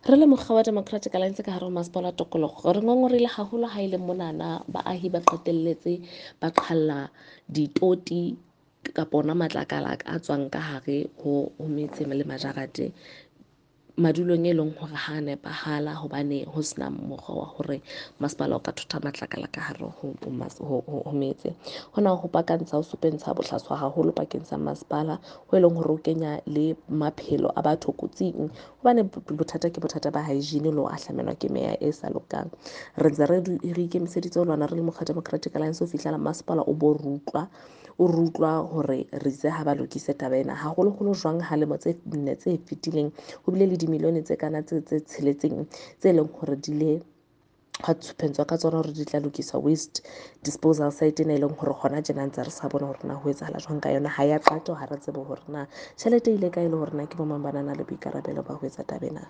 Re le mokga wa Democratic Alliance ka hare ho masepala wa tokoloho, re ngongoreile haholo ha e le monana baahi ba qetelletse ba qhalla ditoti kapa ona matlakala a tswang ka hare ho metse le majarate madulong e leng hore ha nepahala, hobane ho sena mokgwa wa hore masepala o ka thotha matlakala ka hare ho metse. Hona ho pakantsha ho supentsha bohlaswa haholo pakeng sa masepala ho e leng hore o kenya le maphelo a batho kotsing, hobane bothata ke bothata ba hygiene le ho ahlamelwa ke meya e sa lokang. Re ntse re ikemiseditse ho lwana re le mokga Democratic Alliance ho fihlela masepala o bo rutlwa o rutlwa hore re itse ha ba lokise taba ena, haholoholo jwang ha lemo tse nne tse fetileng ho bile le dimilione tse kana tse tsheletseng tse leng hore di le hwa tshupentswa ka tsona hore di tla lokisa waste disposal site ena, e leng hore hona tjena ntse re sa bone hore na ho etsahala jwang ka yona. Ha ya qetwa, ha re tsebe hore na tjhelete e ile kae, le hore na ke bo mang ba nang le boikarabelo ba ho etsa taba ena.